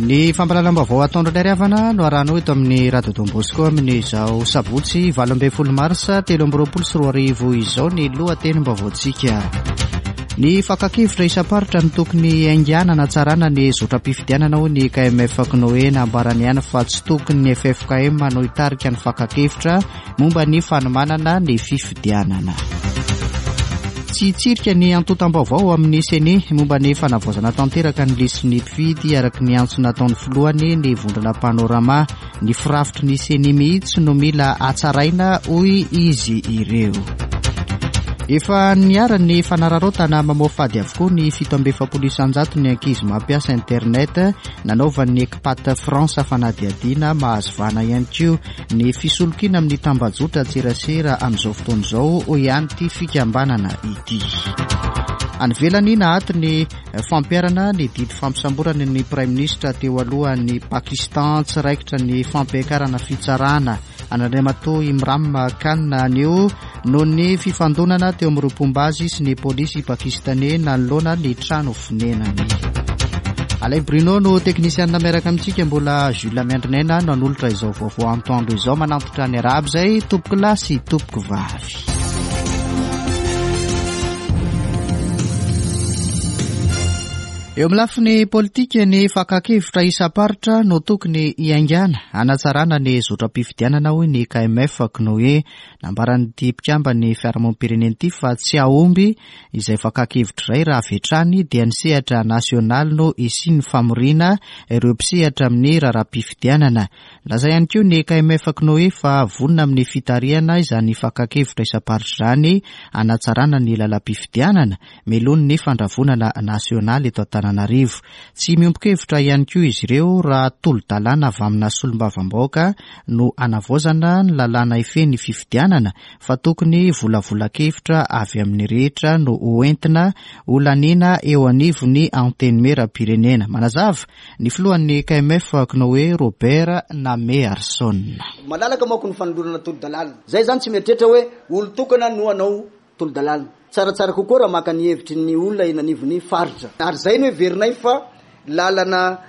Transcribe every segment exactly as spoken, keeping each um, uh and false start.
Ny fampahalalam-baovao ataondro ilay havana no arahanao eto amin'ny Radio Don Bosco amin'izao sabotsy valo ambin'ny folo marsa telo amby roapolo sy roa arivo izao ny lohatenim-baovaontsika. Ny fakan-kevitra isam-paritra no tokony haingana hanatsarana ny zotram-pifidianana hoy ny K M F C N O E. Nambarany ihany fa tsy tokony ny F F K M no hitarika ny fakan-kevitra momba ny fanomanana ny fifidianana. Tsy hitsirika ny antontam-baovao amin'ny CENI momba ny fanavaozana tanteraka ny lisitry ny mpifidy araka ny antso nataon'ny filohany ny vondrona Panorama. Ny firafitry ny CENI mihitsy no mila hatsaraina hoy izy ireo. Efa niara ny fanararaotana mamoafady avokoa ny fito amby efapolo isanjato ny ankizy mampiasa internet nanaovan'ny ECPAT France fanadihadiana. Mahazo vahana ihany koa ny fisolokiana amin'ny tambajotra tserasera amin'izao fotoana izao hoy ihany ity fikambanana ity. Any ivelany, naato ny fampiharana ny didy fampisamborana ny Prime Ministre teo alohan'ny Pakistan. Tsy raikitra ny fampiakarana fitsarana an'Andriamatoa Imran Khan anio noho ny fifandonana teo amin'ireo mpomba azy sy ny polisy pakistanais nanoloana ny trano fonenany. Alain Bruno no teknisianina miaraka amintsika, mbola Jules Miandrinaina no hanolotra izao vaovao antoandro izao. Manantitra ny arahaba izay tompoko lahy sy tompoko vavy. Eo amin'ny lafiny politika, ny fakan-kevitra isam-paritra no tokony hiaingana hanatsarana ny zotram-pifidianana hoy ny K M F C N O E. Nambaran'ity mpikambana fiarahamonim-pirenena ity fa tsy hahomby izay fakan-kevitra iray raha avy hatrany dia ny sehatra nasionaly no hisian'ny famoriana ireo mpisehatra amin'ny raharaham-pifidianana. Laza ihany koa ny K M F C N O E fa vonona amin'ny fitarihana izany fakan-kevitra isam-paritra izany hanatsarana ny lalam-pifidianana mialoha ny fandravonana nasionaly eto Antananarivo. Tsy miombon-kevitra ihany koa izy ireo raha tolo-dalàna avy amina solombavambahoaka no hanavaozana ny lalàna ifehy ny fifidianana fa tokony volavolan-kevitra avy amin'ny rehetra no hoentina holaniana eo anivon'ny antenimieram-pirenena. Manazava ny filohan'ny K M F C N O E, Robert Namearson. Malalaka manko ny fanolorana tolo-dalàna zay zany, tsy mieritreritra hoe olo tokana no anao tolo-dalàna. Tsaratsara kokoa raha maka ny hevitry ny olona eny anivon'ny faritra, ary zay no heverinay fa lalana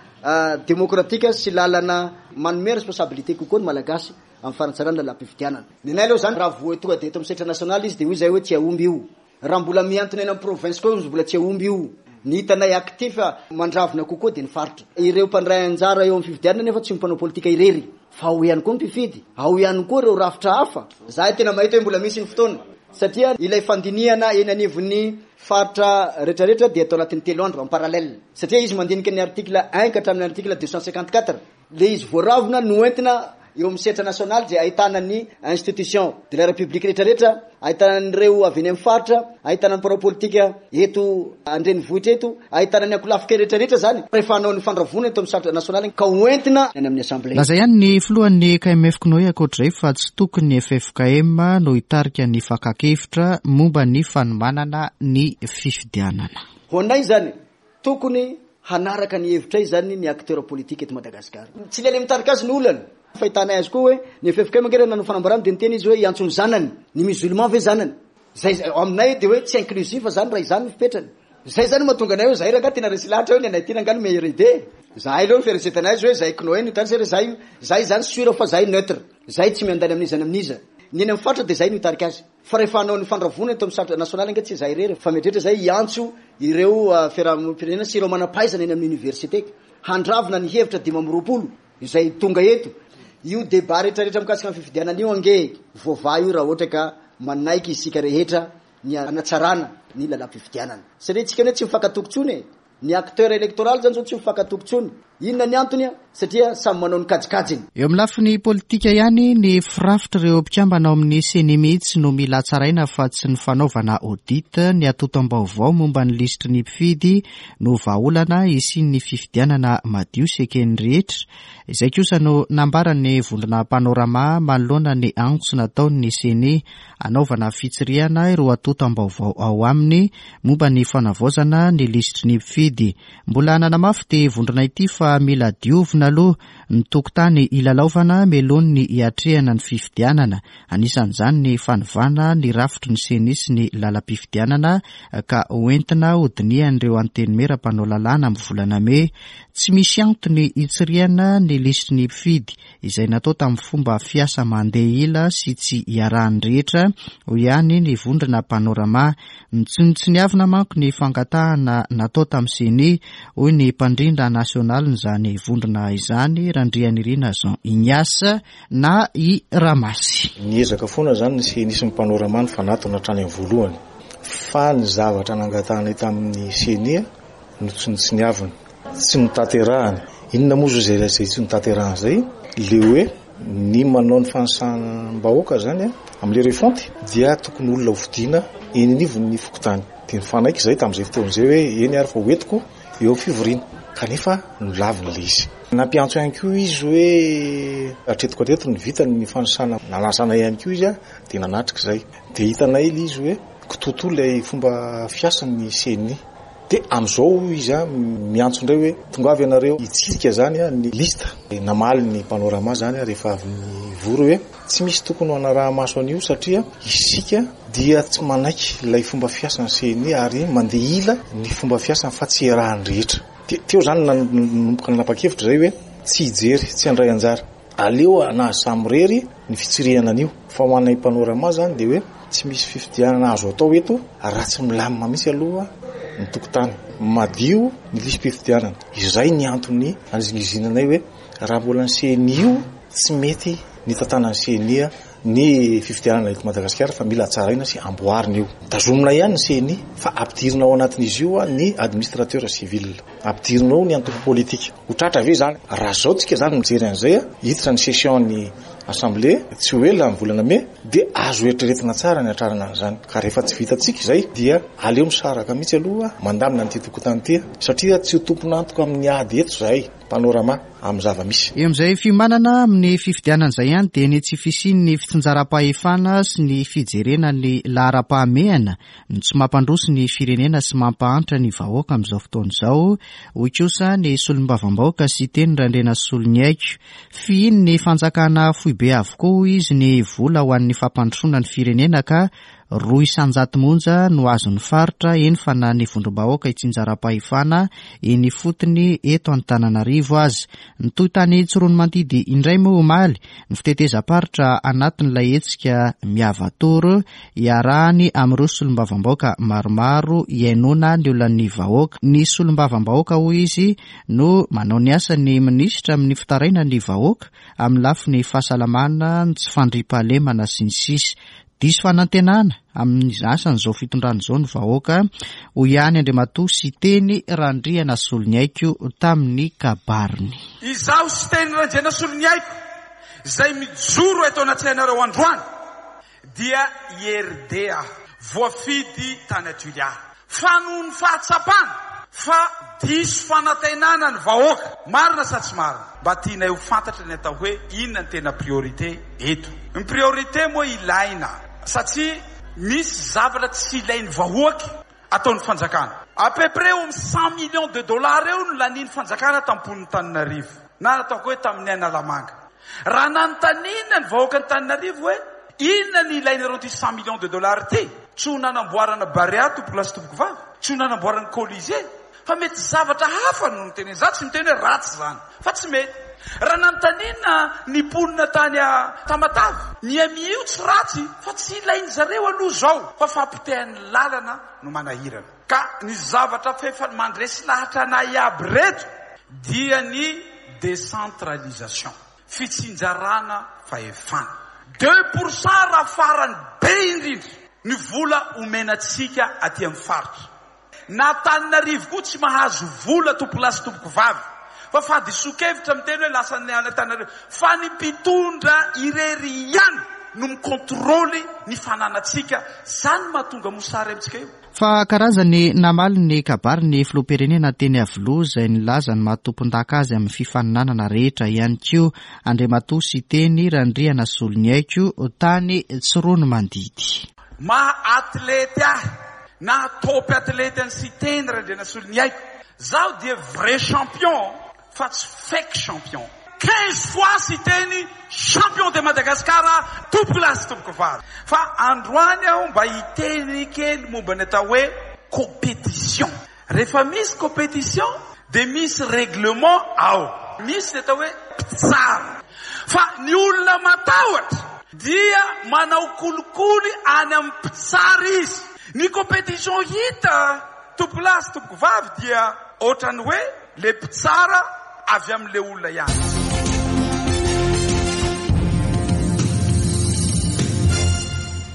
demokratika sy lalana manome responsabilité kokoa ny Malagasy amin'ny fanatsarana lalam-pifidianana. Ny anay aloha zany, raha voa tonga de eto amin'ny sehatra nasionaly izy, de hoy zay hoe tsy ahomby io. Raha mbola miantona eny amin'ny province koa izy, mbola tsy ahomby io. Ny hitanay actif mandravona kokoa de ny faritra. Ireo mpandray anjara eo amin'ny fifidianana nefa tsy mpanao politika irery, fa ao ihany koa ny mpifidy, ao ihany koa ireo rafitra hafa. Zahay tena mahita hoe mbola misy ny fotoana, satria ilay fandinihana eny anivon'ny faritra rehetrarehetra dia atao anatin'ny telo andro en parallèle, satria izy mandinika ny article un ka hatramin'ny article deux cent cinquante-quatre. Le izy voaravona no entina eo amin'ny sehatra nasionaly zay ahitana ny institution de la République rehetrarehetra, ahitana an'ireo avy eny amin'ny faritra, ahitana ny mpanao politika eto andrenivohitra eto, ahitana ny ankolafika rehetrarehetra zany rehefa hanao ny fandravona eto amin'ny sehatra nasionaly ka hoentina any amin'ny assemblée. Laza ihany ny filohan'ny K M F C N O E ankoatr'izay fa tsy tokony ny F F K M no hitarika ny fakan-kevitra momba ny fanomanana ny fifidianana. Ho anay zany, tokony hanaraka ny hevitray zany ny acteur politique eto Madagasikara. Tsy le le mitarika azy ny olana. Fahitanay azy koa hoe ny F F K M ange raha nanao fanambarana de niteny izy hoe hiantso ny zanany. Ny musulman ve zanany zay aminay? De hoe tsy inclusif zany raha izany ny fipetrany zay zany mahatonga anay hoe zay raha tena resy lahatra hoe ny anay ty rangah no meilleure idée. Zahay aloha ny fieritreretanay azy hoe zay C N O E no hitany zay zay zay zany sûr fa zay neutre, zay tsy miandany amin'iza na amin'iza. Ny eny amin'ny faritra de zay no hitarika azy, fa rehefa hanao ny fandravona eto amin'ny sehatra nasionaly ange tsy zay irery, fa mieritreritra zay hiantso ireo fiarahamonim-pirenena sy ireo manam-pahaizana eny amin'ny université handravona ny hevitra dimy amby roapolo izay tonga eto. Io débat rehetrarehetra mikasika ny fifidianana io ange voavaha io raha ohatra ka manaiky isika rehetra ny anatsarana ny lalam-pifidianana, satria tsika hoe tsy mifankatoky tsony e. Ny acteur électoral zany zao tsy mifankatoky tsony. Inona ny antony a? Satria samy manao ny kajikajiny. Eo amin'ny lafiny politika ihany, ny firafitra ireo mpikambana ao amin'ny CENI mihitsy no mila tsaraina fa tsy ny fanaovana audit ny antontam-baovao momba ny lisitry ny mpifidy no vahaolana hisian'ny fifidianana madio sy eken'ny rehetra. Izay kosa no nambaran'ny vondrona Panorama manoloana ny antso nataon'ny CENI anaovana fitsirihana ireo antontam-baovao ao aminy momba ny fanavaozana ny lisitry ny mpifidy. Mbola nanamafy ty vondrona ity fa fa mila diovina aloha ny tokotany ilalaovana mialohan'ny hiatrehana ny fifidianana. Anisan'izany ny fanovana ny rafitry ny CENI sy ny lalam-pifidianana ka hoentina hodinihan'ireo antenimiera mpanao lalàna amin'ny volana mey. Tsy misy antony hitsirihana ny lisitry ny mpifidy izay natao tamin'ny fomba fiasa mandeha ila sy tsy iarahan'ny rehetra, hoy ihany ny vondrona Panorama. Notsinontsiniavina manko ny fangatahana natao tamin'ny CENI, hoy ny mpandrindra nasionalin'izany vondrona izany, Randrianirina Jean Ignace na i Ramasy. Niezaka foana izany ny CENI sy ny Panorama ny fanatona hatrany amin'ny voalohany, fa ny zavatra nangatahana tamin'ny CENI notsinontsiniavina, tsy notanterahany. Inona moa izay izay tsy notanterahany izay? Le hoe ny manao ny fanisam-bahoaka zany amin'ilay refonte dia tokony olona hofidiana eny anivon'ny fokontany. Dia nifanaiky izay tamin'izay fotoana izay hoe eny ary fa hoentiko eo amin'ny fivoriana, kanefa nolaviny ilay izy. Nampiantso ihany koa izy hoe hatreto hatreto ny vita ny fanisana, nanasana ihany koa izy dia nanatrika izay. Dia hitanay ilay izy hoe kitoatoa ilay fomba fiasan'ny CENI. Dia amin'izao izy miantso indray hoe tongava ianareo hitsirika zany ny lista. Namaly ny Panorama zany rehefa avy nivory hoe tsy misy tokony ho anaraha-maso an'io satria isika dia tsy manaiky ilay fomba fiasan'ny CENI ary mandeha ila ny fomba fiasany fa tsy iarahan'ny rehetra. Dia teo zany nanomboka nanapa-kevitra izay hoe tsy hijery, tsy handray anjara. Aleo anazy samirery ny fitsirihana an'io. Fa ho anay Panorama zany dia hoe tsy misy fifidianana azo atao eto raha tsy milamina mihitsy aloha ny tokotany, madio ny lisi-pifidianana. Izay ny antony anizingizinanay hoe raha mbola ny CENI io tsy mety ny tantanan'ny CENI ny fifidianana eto Madagasikara fa mila tsaraina sy amboarina io. Tazomina ihany ny CENI fa ampidirina ao anatin'izy io ny administrateur civil, ampidirina ao ny antoko politika. Ho tratra ve zany? Raha zao tsika zany mijery an'izay, hiditra ny session ny assemblée tsy ho ela amin'ny volana mey dia azo eritreretina tsara ny hatrarana an'izany. Ka rehefa tsy vitantsika izay dia aleo misaraka mihitsy aloha mandamina an'ity tokotany ity satria tsy ho tompon'antoka amin'ny ady eto izahay Panorama amin'ny zava-misy. Eo amin'izay fiomanana amin'ny fifidianana izay ihany dia ny tsy fisian'ny fitsinjaram-pahefana sy ny fijerena ny laharam-pahamehana no tsy mampandroso ny firenena sy mampahantra ny vahoaka amin'izao fotoana izao, hoy kosa ny solombavambahoaka Siteny Randrianasoloniaiko. Fihiny ny fanjakana foibe avokoa izy ny vola ho an'ny fampandrosoana ny firenena ka roa isanjato monja no azon'ny faritra, eny fa na ny vondrom-bahoaka itsinjaram-pahefana eny ifotony eto Antananarivo azy. Nitohy tany Tsiroanomandidy indray moa omaly ny fitetezam-paritra anatin'ilay hetsika Miavatoro iarahany amin'ireo solombavambahoaka maromaro hihainoana ny olan'ny vahoaka. Ny solombavambahoaka hoy izy no manao ny asan'ny minisitra amin'ny fitaraina ny vahoaka amin'ny lafiny fahasalamana, ny tsy fandriampahalemana sy ny sisa. Diso fanantenana amin'ny asan'izao fitondrana izao ny vahoaka, hoy ihany Andriamatoa Siteny Randrianasoloniaiko tamin'ny kabariny. Izaho Siteny Randrianasoloniaiko izay mijoro eto anatrehanareo androany dia I R D A voafidy tany Toliara. Fa noho ny fahatsapana fa diso fanantenana ny vahoaka, marina sa tsy marina? Mba tianay ho fantatra ny atao hoe inona ny tena priorité eto. Ny priorité moa ilaina satria misy zavatra tsy ilain'ny vahoaka ataon'ny fanjakana. À peu près eo amin'ny cent millions de dollars eo no lanian'ny fanjakana tamponin'ny Tananarivo na ataoko hoe tamin'ny Analamanga. Raha nanontaniana ny vahoaka ny Tananarivo hoe inona ny ilainareo ity cent millions de dollars ity, tsy ho nanamboarana Barea tompoko lahy sy tompoko vavy, tsy ho nanamboarana Colisée, fa mety zavatra hafa no nitenena. Za tsy miteny hoe ratsy zany, fa tsy mety. Raha nanontaniana ny mponina tany Tamatave, ny M I io tsy ratsy, fa tsy ilainy zareo aloha zao, fa fampotehan'ny lalana no manahirana. Ka ny zavatra fefa mandresy lahatra anay aby reto dia ny décentralisation, fitsinjarana fahefana. Deux pour cent raha farany be indrindra ny vola omenantsika aty amin'ny faritra. Na Antananarivo koa tsy mahazo vola tompoko lahy sy tompoko vavy, fa fahadisoan-kevitra miteny hoe lasa any Antananarivo, fa ny mpitondra irery ihany no mikontrôly ny fananantsika. Zany mahatonga mosary amintsika io. Fa karazany namaly ny kabary ny filoham-pirenena teny Iavoloha izay nilaza ny maha-tompon-daka azy amin'ny fifaninanana rehetra ihany koa Andriamatoa Siteny Randrianasoloniaiko tany Tsiroanomandidy. Maha atlety ahy na top atlety an'i Siteny Randrianasoloniaiko, zaho dia vrai champion, fa tsy fake champion. Quinze fois siteny champion de Madagascar tompoko lahy sy tompoko vavy. Fa androany aho mba hiteny kely momba ny atao hoe compétition. Rehefa misy compétition dia misy règlement ao. Misy ny atao hoe mpitsara. Fa ny olona matahotra dia manao kolikoly any amin'ny mpitsara izy. Ny compétition hita tompoko lahy sy tompoko vavy dia ohatrany hoe le mpitsara avy amin'le olona ihany.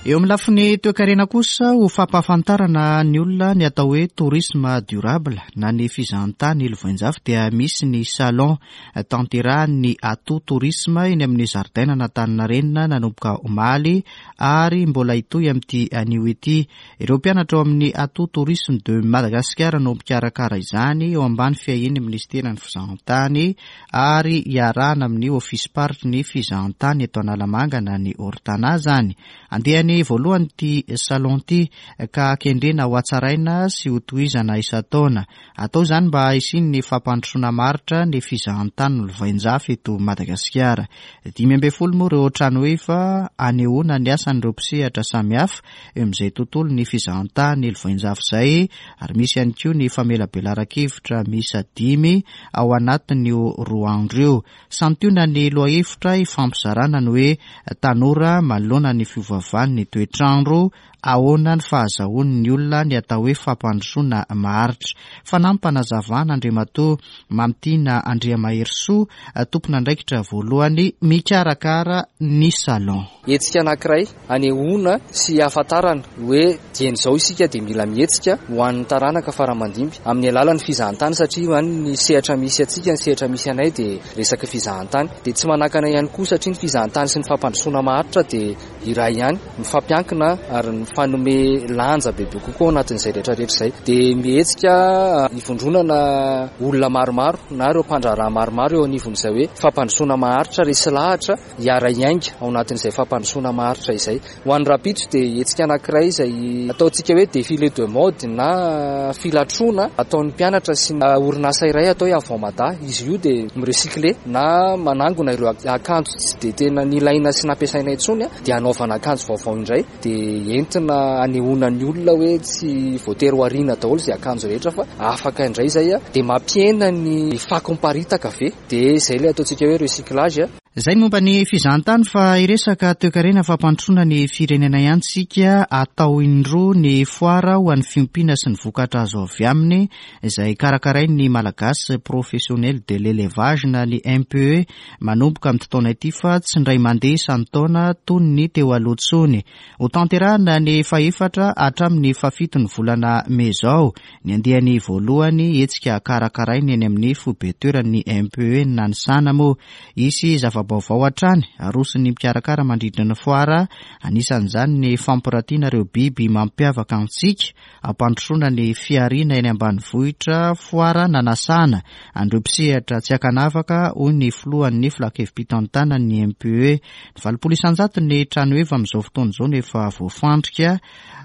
Eo amin'ny lafiny toekarena kosa ho fampahafantarana ny olona ny atao hoe tourisme durable na ny fizahantany lovainjafy dia misy ny salon tanterahan'ny Atout Tourisme eny amin'ny zaridaina Antaninarenina nanomboka omaly ary mbola hitohy amin'ity anio ity. Ireo mpianatra ao amin'ny Atout Tourisme de Madagascar no mpikarakara izany eo ambany fiahian'ny ministeran'ny fizahantany ary iarahana amin'ny ofisy-paritry ny fizahantany eto Analamanga na ny Ortana zany. Andiany voalohany ity salon ity ka kendrena ho hatsaraina sy ho tohizana isan-taona. Atao izany mba hisian'ny fampandrosoana maharitra ny fizahantany lovainjafy eto Madagasikara. Dimy ambin'ny folo moa ireo tranoheva anehoana ny asan'ireo mpisehatra samihafa eo amin'izay tontolo ny fizahantany lovainjafy izay, ary misy ihany koa ny famelabelaran-kevitra miisa dimy ao anatin'io roa andro io. Santionany ny lohahevitra ifampizarana ny hoe tanora manoloana ny fiovaovan'ny toetrandro, ahoana ny fahazahoan'ny olona ny atao hoe fampandrosoana maharitra. Fanampim-panazavana Andriamatoa Mamitiana Andriamaherisoa, tompon'andraikitra voalohany mikarakara ny salon. Hetsika anankiray anehoana sy ahafantarana hoe dieny izao isika dia mila mihetsika ho an'ny taranaka faramandimby amin'ny alalan'ny fizahantany, satria any ny sehatra misy antsika, ny sehatra misy anay dia resaka fizahantany. Dia tsy manakana ihany koa satria ny fizahantany sy ny fampandrosoana maharitra dia iray ihany, mifampiankina ary mifanome lanja bebe kokoa anatin'izay rehetrarehetra izay. Dia mihetsika ivondronana olona maromaro na ireo mpandraharaha maromaro eo anivon'izay hoe fampandrosoana maharitra resy lahatra hiara-hiainga ao anatin'izay fampandrosoana maharitra izay. Ho an'ny rahampitso dia hetsika anankiray izay ataontsika hoe défilé de mode na filatroana ataon'ny mpianatra sy orinasa iray atao hoe Avant Mada. Izy io dia mirecycler na manangona ireo akanjo tsy dia tena nilaina sy nampiasaina intsony dia hanaovana akanjo vaovao indray, dia entina anehoana ny olona hoe tsy voatery ho ariana daholo izay akanjo rehetra fa afaka indray izay, dia mampihena ny fako miparitaka ve, dia izay ilay ataontsika hoe recyclage. Izay momba ny fizahantany fa hiresaka toekarena fampandrosoana ny firenena ihany tsika. Atao indroa ny foara ho an'ny fiompiana sy ny vokatra azo avy aminy izay karakarain'ny Malagasy Professionnel de l'Élevage na ny M P E manomboka amin'ity taona ity fa tsy indray mandeha isan-taona toy ny teo aloha intsony. Ho tanterahana ny fahefatra hatramin'ny fahafito ny volana mey izao ny andiany voalohany hetsika karakarainy eny amin'ny foibe toeran'ny M P E Nanisana moa. Hisy zava-baovao hatrany aroson'ny mpikarakara mandritra ny foara, anisan'izany ny fampiratiana ireo biby mampiavaka antsika, ampandrosoana ny fihariana eny ambanivohitra, foara nanasana an'ireo mpisehatra tsy ankanavaka, hoy ny filohan'ny filan-kevi-pitantanan'ny M P E. Ny valopolo isan-jato ny tranoheva amin'izao fotoana izao no efa voafandrika,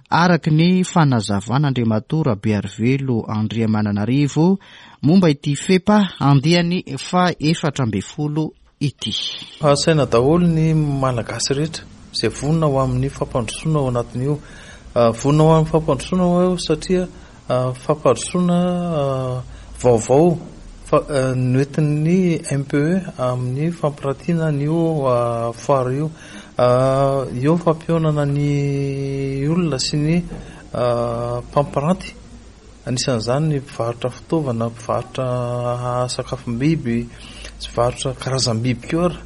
araka ny fanazavana Andriamatoa Rabearivelo Andriamananarivo momba ity FEPA andiany faha-efatra ambin'ny folo ity. Asaina daholo ny Malagasy rehetra izay vonona ho amin'ny fampandrosoana ao anatin'io. Vonona ho amin'ny fampandrosoana eo satria fampandrosoana vaovao noentin'ny M P E amin'ny fampiratiana an'io foara io. Eo fampihaonana ny olona sy ny mpampiranty, anisan'izany ny mpivarotra fitaovana, mpivarotra sakafom-biby, mpivarotra karazam-biby koa ary.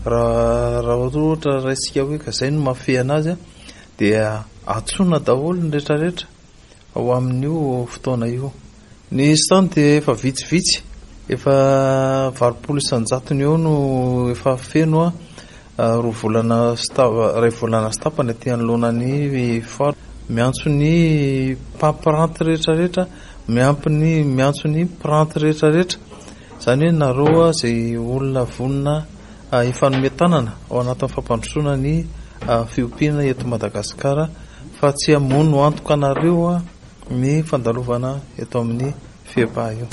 Raha, raha ohatra raisika hoe ka izay no mahafehy anazy, dia antsoina daholo ny rehetrarehetra ao amin'io fotoana io. Ny stand dia efa vitsivitsy, efa valopolo isan-jatony eo no efa feno, roa volana sy ta-, iray volana sy tapany aty anoloana ny foara. Miantso ny mpampiranty rehetrarehetra, miampy ny, miantso ny mpiranty rehetrarehetra. Izany hoe nareo izay olona vonona hifanome tanana ao anatin'ny fampandrosoana ny fiompiana eto Madagasikara, fa tsy hamono antoka anareo ny fandalovana eto amin'ny FEPA io.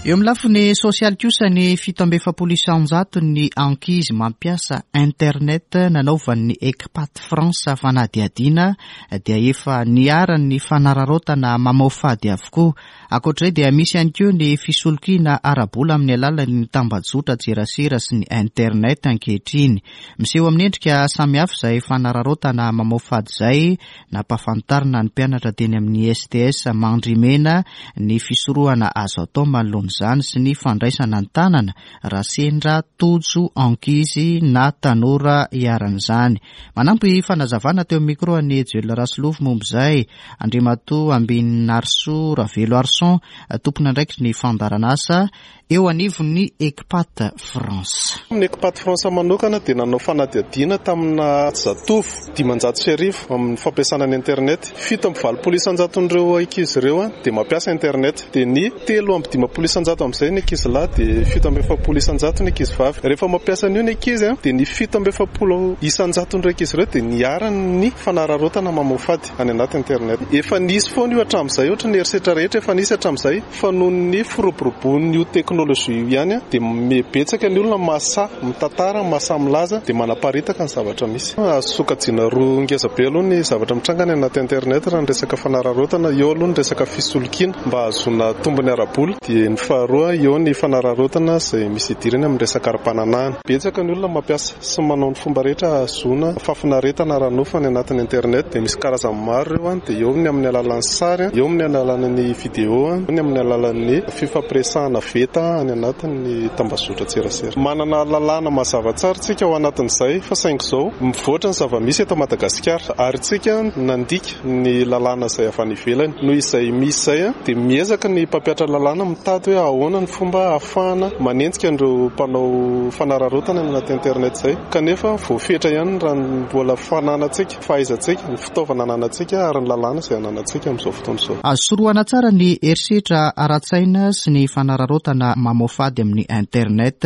Eo amin'ny lafiny sosialy kosa, ny fito amby efapolo isanjato ny ankizy mampiasa internet nanaovan'ny ECPAT France fanadihadiana dia efa niharan'ny fanararaotana mamoafady avokoa. Ankoatr'izay dia misy ihany koa ny fisolokiana ara-bola amin'ny alalan'ny tambajotra tserasera sy ny internet ankehitriny. Miseho amin'ny endrika samihafa izay fanararaotana mamoafady izay. Nampahafantarina ny mpianatra teny amin'ny S T S Mandrimena ny fisorohana azo atao manoloana izany sy ny fandraisana an-tanana raha sendra tojo ankizy na tanora iharan'izany. Manampy fanazavana teo amin'ny micro ny Joel Rasolofo momba izay Andriamatoa Ambininarso Ravelo Arson, tompon'andraikitry ny fandaharanasa eo anivon'ny ECPAT France. Ny ECPAT France manokana dia nanao fanadihadiana tamina zatovo dimanjato sy arivo amin'ny fampiasana ny internet. Fito amby valopolo isanjaton'ireo ankizy ireo a dia mampiasa internet, dia ny telo amby dimampolo isanjato amin'izay ny ankizy lahy, dia fito amby efapolo isanjato ny ankizy vavy. Rehefa mampiasa an'io ny ankizy a dia ny fito amby efapolo isanjaton'ireo ankizy ireo dia niharan'ny fanararaotana mamoafady any anaty internet. Efa nisy foana io hatramin'izay, ohatra ny herisetra rehetra efa nisy hatramin'izay, fa noho ny firoboroboan'io teknôlôjia io ihany a dia mibetsaka ny olona mahasahy mitantara, mahasahy milaza, dia manaparitaka ny zavatra misy. Azo sokajiana roa ngeza be aloha ny zavatra mitranga any anaty internet raha ny resaka fanararaotana. Eo aloha ny resaka fisolokiana mba hahazoana tombony ara-bola, dia ny faharoa eo ny fanararaotana izay misy idirany amin'ny resaka ara-pananahana. Betsaka ny olona mampiasa sy manao ny fomba rehetra hahazoana fahafinaretana ara-nofo any anatin'ny internet, dia misy karazany maro ireo a dia eo ny amin'ny alalan'ny sary, eo amin'ny alalan'ny vidéo, ny amin'ny alalan'ny fifampiresahana veta any anatin'ny tambazotra tserasera. Manana lalàna mazava tsara tsika ao anatin'izay, fa saingy izao mivoatra ny zava-misy eto Madagasikara ary tsika nandika ny lalàna izay avy any ivelany. Noho izay misy izay a dia miezaka ny mpampihatra lalàna mitady hoe ahoana ny fomba ahafahana manenjika an'ireo mpanao fanararaotana any anaty internet izay, kanefa voafetra ihany raha mbola fananantsika, fahaizantsika, ny fitaovana ananantsika ary ny lalàna izay ananantsika amin'izao fotoana izao. Azo sorohana tsara ny herisetra ara-tsaina sy ny fanararaotana mamoafady amin'ny internet,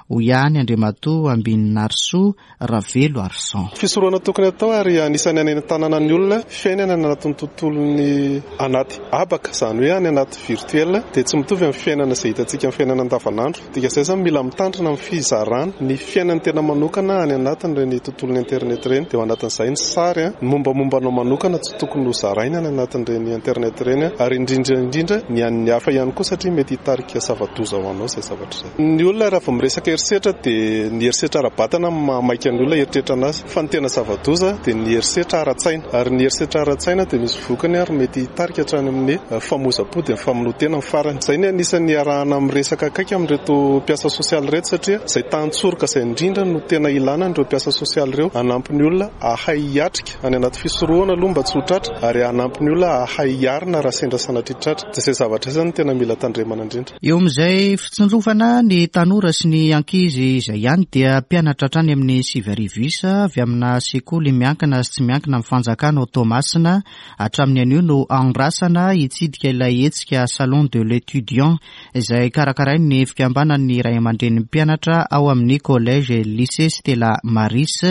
hoy ihany Andriamatoa Ambininarso Ravelo Arson. Fisorohana tokony atao ary anisan'ny anentanana ny olona: fiainana any anatin'ny tontolon'ny anaty habaka, izany hoe any anaty virtuel, dia tsy mitovy amin'ny fiainana izay hitantsika amin'ny fiainana andavanandro. Dika izay zany, mila mitandrina amin'ny fizarana ny fiainany tena manokana any anatin'ireny tontolon'ny internet ireny, dia ao anatin'izay ny sary a ny mombamomba anao manokana tsy tokony ho zaraina any anatin'ireny internet ireny, ary indrindra indrindra ny an'ny hafa ihany koa, satria mety hitarika zava-doza ho anao izay zavatra izay. Ny olona raha vao miresaka herisetra dia ny herisetra ara-batana mahamaika ny olona eritreritra anazy, fa ny tena zava-doza dia ny herisetra ara-tsaina, ary ny herisetra ara-tsaina dia misy vokany ary mety hitarika hatrany amin'ny famoizam-po, dia ny famonoan-tena amin'ny farany. Izay ny anisan'ny arahana miresaka akaiky amin'ireto mpiasa sosialy ireto, satria izay tantsoroka izay indrindra no tena ilana an'ireo mpiasa sosialy ireo, hanampy ny olona hahay hiatrika any anaty fisorohana aloha mba tsy ho tratra, ary hanampy ny olona hahay hiarina raha sendra sanatria tratra. Dia izay zavatra izay zany tena mila tandremana indrindra. Eo amin'izay fitsinjovana ny tanora sy ny ankizy izay ihany, dia mpianatra hatrany amin'ny sivy arivo isa avy amina sekoly miankina sy tsy miankina amin'ny fanjakana ao Toamasina hatramin'ny anio no andrasana hitsidika ilay hetsika Salon de l'étudiant izay karakarain'ny fikambanan'ny ray aman-drenin'ny mpianatra ao amin'ny Collège Lycée Stella Maris.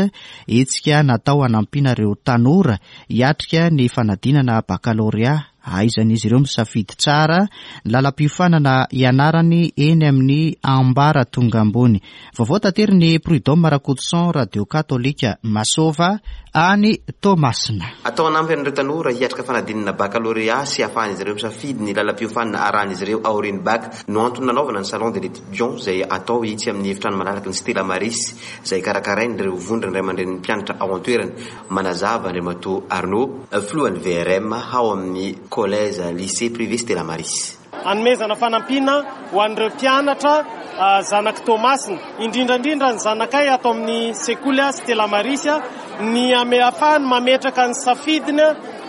Hetsika natao hanampiana ireo tanora hiatrika ny fanadinana bakalorea, ahaizan'izy ireo misafidy tsara ny lalam-piofanana ianarany eny amin'ny ambaratonga ambony. Vaovao tateriny Prud'homme Rakotoson, Radio Katolika Masova any Toamasina. Atao hanampy an'ireo tanora hiatrika fanadinana bakalorea sy ahafahan'izy ireo misafidy ny lalam-piofanana arahan'izy ireo aorian'ny bac no antony nanaovana ny Salon de l'étudiant izay atao itsy amin'ny efitrano malalaky ny Stella Maris, izay karakarain'ireo vondrona ray aman-drenin'ny mpianatra ao an-toerana. Manazava Andriamatoa Arnaud, filohan'ny V R M ao amin'ny Collège Lycée Privé Stella Maris. Anomezana fanampiana ho an'ireo mpianatra zanaky Toamasina, indrindrandrindra ny zanakay atao amin'ny sekoly a Stella Maris, ny ame ahafahany mametraka ny safidiny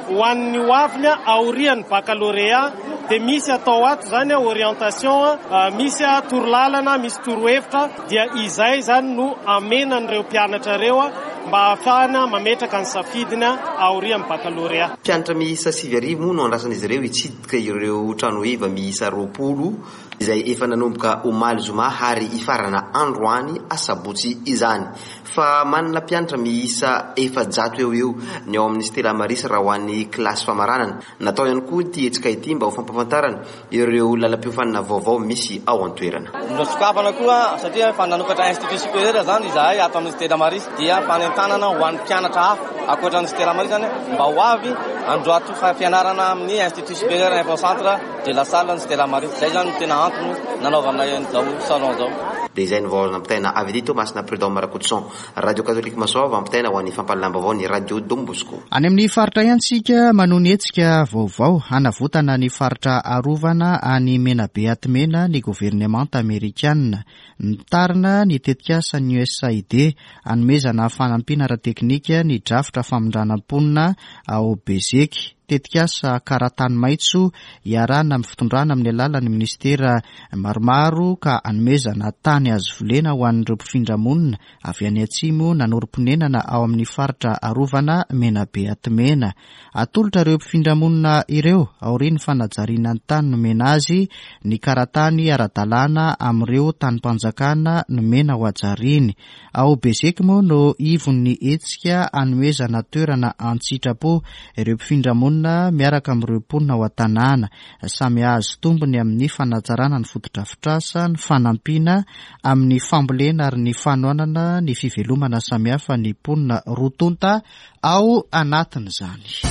ho an'ny hoaviny aorian'ny bakalorea. Dia misy atao ato zany orientation, misy a torolalana, misy torohevitra, dia izay zany no amenan'ireo mpianatra ireo mba ahafahana mametraka ny safidiny aorian'ny bakalorea. Mpianatra miisa sivy arivo moa no andrasan'izy ireo hitsidika ireo trano heva miisa roapolo. izay efa nanomboka omaly zoma ary hifarana androany asabotsy izany. Fa manana mpianatra miisa efajato eo eo ny ao amin'ny Stella Maris raha ho an'ny kilasy famaranana. Natao ihany koa ity hetsika ity mba ho fampahafantarana ireo lalam-piofanana vaovao misy ao an-toerana. Nosokafana koa satria efa nanokatra institut supérieur zany izahay ato amin'ny Stella Maris, dia fanentanana ho an'ny mpianatra hafa ankoatra ny Stella Maris zany mba ho avy androato fianarana amin'ny institut supérieur info centre de la salle ny Stella Maris. Zay zany no tena antony nanaovana an'izao salon zao. Dia izay ny vaovao nampitaina avy eto Toamasina, Prud'homme Rakotoson, Radio Catholique Masoava, ampitaina ho an'ny fampahalalam-baovao ny Radio Don Bosco. Any amin'ny faritra ihany tsika manohy ny hetsika vaovao hanavotana ny faritra arovana any Menabe Atimena ny governemanta amerikana. Nitarina ny tetikasan'ny U S A I D hanomezana fanampiana ara-teknika ny drafitra famindrana mponina ao Bezeky. Tetikasa karatany maitso iarahana amin'ny fitondrana amin'ny alalan'ny ministera maromaro ka hanomezana tany azo volena ho an'ireo mpifindra-monina avy any atsimo nanorim-ponenana ao amin'ny faritra arovana Menabe Atimena. Atolotra ireo mpifindra-monina ireo aorian'ny fanajariana ny tany nomena azy ny karatany ara-dalàna amin'ireo tanim-panjakana nomena ho hajariny. Ao Bezeky moa no ivon'ny hetsika hanomezana toerana an-tsitrapo ireo mpifindra-monina miaraka amin'ireo mponina ao an-tanàna. Samy hahazo tombony amin'ny fanatsarana ny fotodrafitrasa, ny fanampiana amin'ny fambolena ary ny fanohanana ny fivelomana samihafa ny mponina roa tonta ao anatin'izany.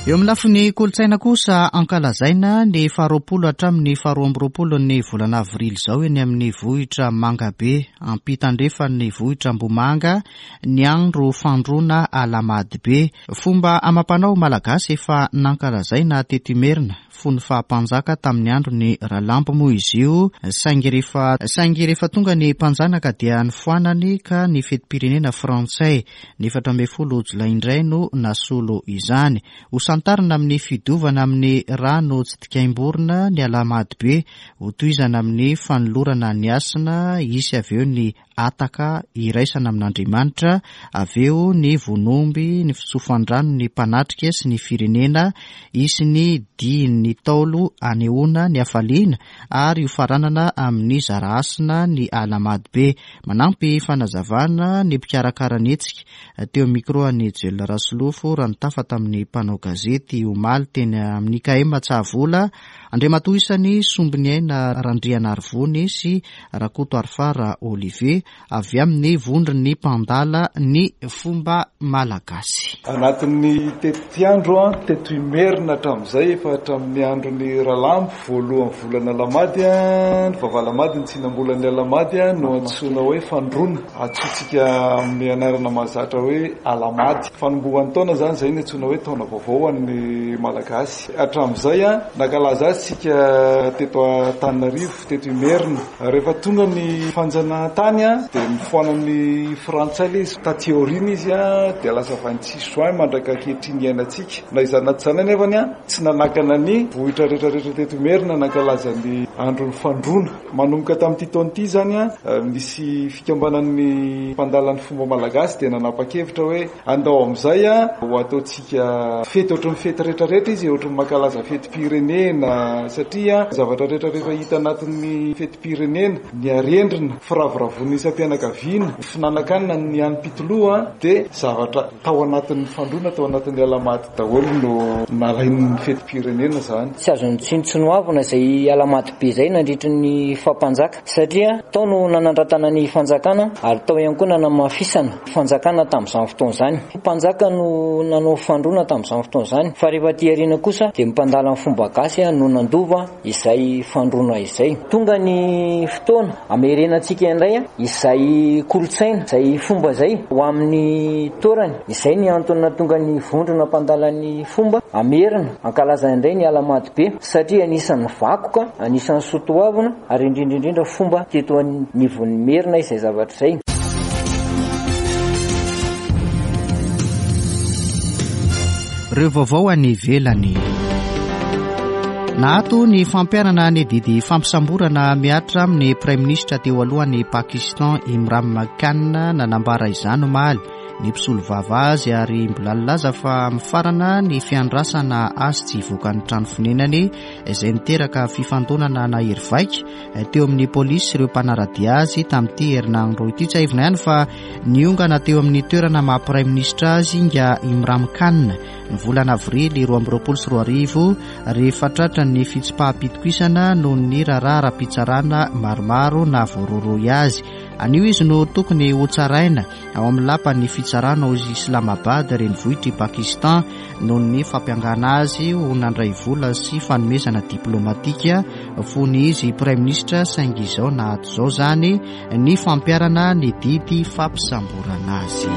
Eo amin'ny lafiny kolontsaina kosa ankalazaina ny faharoapolo hatramin'ny faharoa amby roapolo ny volana avrily izao eny amin'ny vohitra Mangabe, ampitandrefan'ny vohitra Ambomanga, ny andro fandroana Alahamady. Fomba amam-panao malagasy efa nankalazaina teto Imerina fony fahampanjaka tamin'ny andron'ny Ralambo moa izy io, saingy rehefa, saingy rehefa tonga ny mpanjanaka dia nifoanany ka ny fetim-pirenena frantsay ny efatra ambin'ny folo jolay indray no nasolo izany. Ho santarina amin'ny fidiovana amin'ny rano tsy dikaim-borona ny Alahamady be, ho tohizana amin'ny fanolorana ny hasina, hisy avy eo ny ataka iraisana amin'Andriamanitra, avy eo ny vonomby, ny fitsofan-drano ny mpanatrika sy ny firenena, hisy ny dihin'ny taolo anehoana ny hafaliana ary ho faranana amin'ny zara hasina ny Alahamady be. Manampy fanazavana ny mpikarakara ny hetsika teo micro an'i Joel Rasolofo raha nitafa tamin'ny mpanao gazety omaly teny amin'ny I K M Tsahavola, Andriamatoa isany Sombiniaina Randrianarivony sy Rakoto Arifara Olivier avy amin'ny vondron'ny mpandala ny fomba malagasy. Anatin'ny tetiandro a, teto Imerina hatramin'izay efa hatramin'ny andron'ny Ralambo voalohan'ny volana Alahamady a, ny vavalamady ny tsinambolan'ny Alahamady a, no antsoina hoe fandroana, antsointsika amin'ny anarana mahazatra hoe Alahamady. Fanombohan'ny taona zany izay no antsoina hoe taona vaovao ho an'ny Malagasy. Hatramin'izay a, nankalaza azy tsika teto Antananarivo, teto Imerina. Rehefa tonga ny fanjanahantany a, dia nifoanan'ny frantsay ilay izy. Taty aoriana izy a, dia lasa vingt-six juin mandraka ankehitriny iainantsika. Na izany na tsy izany anefany a, tsy nanakana ny vohitra rehetrarehetra teto Imerina nankalaza ny andron'ny fandroana. Manomboka tamin'ity taona ity zany a, nisy fikambanan'ny mpandala ny fomba malagasy dia nanapa-kevitra hoe andao amin'izay a, ho ataontsika fety ohatran'ny fety rehetrarehetra izy, ohatran'ny mankalaza fetim-pirenena, satria zavatra rehetrarehetra hita anatin'ny fetim-pirenena, ny arendrina, firavoravoana isam-pianakaviana, finanankanina ny hanim-pitoloha dia zavatra tao anatin'ny fandroana, tao anatin'ny Alahamady daholo no nalain'ny fetim-pirenena zany. Tsy azo notsinontsinoavina izay Alahamady be izay nandritry ny fampanjaka, satria tao no nanandratana ny fanjakana ary tao ihany koa nanamafisana fanjakana tamin'izany fotoana izany. Mpanjaka no nanao fandroana tamin'izany fotoana izany, fa rehefa aty aoriana kosa dia mpandala ny fomba gasy no nandova izay fandroana izay. Tonga ny fotoana amerenantsika indray izay kolontsaina, izay fomba izay ho amin'ny toerany. Izay ny antony nahatonga ny vondrona mpandala ny fomba amerina ankalaza indray ny Alahamady be, satria anisan'ny vakoka, anisan'ny soatoavina ary indrindra indrindra fomba teto anivon'ny Merina izay zavatra izay. Ireo vaovao any ivelany. Naato ny fampiharana ny didy fampisamborana mihatra amin'ny praiminisitra teo alohan'ny Pakistan Imran Khan nanambara izany omaly. ny mpisolovava azy ary mbola nilaza fa mifarana ny fiandrasana azy tsy hivoaka ny trano fonenany izay niteraka fifandonana nahery vaika teo amin'ny polisy sy ireo mpanara-dia azy tamin'ity herinandro ity. Tsiahivina ihany fa niongana teo amin'ny toerana maha praiminisitra azy nga Imran Khan ny volana avrily roa amby roapolo sy roa arivo rehefa tratra ny fitsipaham-pitokisana noho ny raharaha ara-pitsarana maromaro na voarohirohy azy. Anio izy no tokony hotsaraina ao amin'ny lapan'ny fitsarana ao Islamabad, renivohitr'i Pakistan, noho ny fampiangana azy ho nandray vola sy fanomezana diplomatika fony izy praiminisitra, saingy izao nahato izao izany ny fampiharana ny didy fampisamborana azy.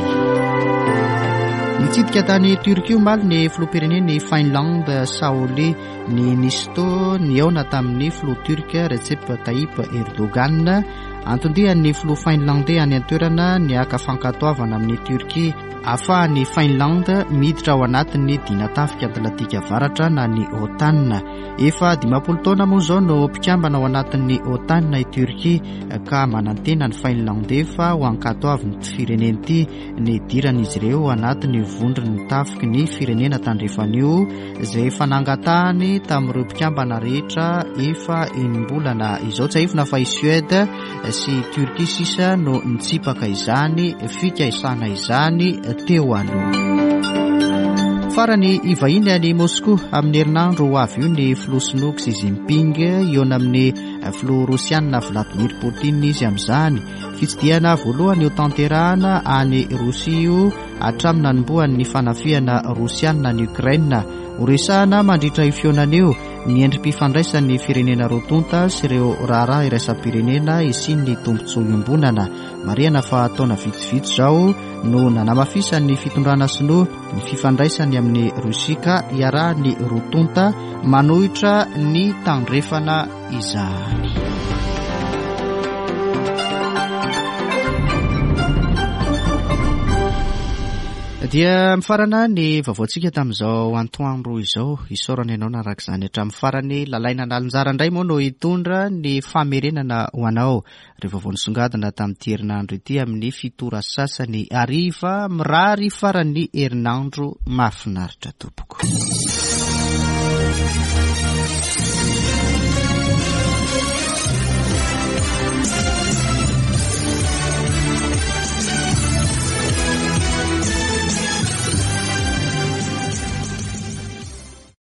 Nitsidika tany Turquie omaly ny filoham-pirenen'i Finlande Sauli Niinisto nihaona tamin'ny filoha turc Recep Tayyip Erdogan. Anton-dian'ny filoha finlandais any an-toerana ny haka fankatoavana amin'ny Turquie ahafahan'ny Finlande miditra ao anatin'ny dinatafika Atlantika Avaratra na ny OTAN. Efa dimampolo taona moa izao no mpikambana ao anatin'ny OTAN i Turquie ka manantena ny Finlandais fa ho ankatoavin'ny firenena ity ny hidiran'izy ireo anatin'ny vondron'ny tafiky ny firenena tandrefana io izay efa nangatahany tamin'ireo mpikambana rehetra efa enim-bolana izao. Tsiahivina fa i Suède sy Turquie sisa no nitsipaka izany fikaisana izany teo aloha. Farany hivahiny any Moscou amin'ny herinandro ho avy io ny filoha sinoa Xi Jinping hihaona amin'ny filoha rosiana Vladimir Poutine izy amin'izany. Fitsidihana voalohany ho tanterahana any Rosia io hatramin'ny nanombohan'ny fanafihana rosiana any Ukraine. Horesahana mandritra io fihaonana io ny endri-pifandraisan'ny firenena roa tonta sy ireo raharaha iraisam-pirenena isian'ny tombontsoa iombonana. Marihana fa taona vitsivitsy izao no nanamafisan'ny fitondrana sinoa ny fifandraisany amin'ny Rosia ka iarahan'ny roa tonta manohitra ny tandrefana izany. Dia mifarana ny vaovaontsika tamin'izao antoandro izao. Isaorana ianao naraka izany hatramin'ny farany. Lalaina Analinjara indray moa no hitondra ny famerenana ho anao ireo vaovao nisongadina tamin'ity herinandro ity amin'ny fito ora sasany hariva. Mirary faran'ny herinandro mahafinaritra tompoko.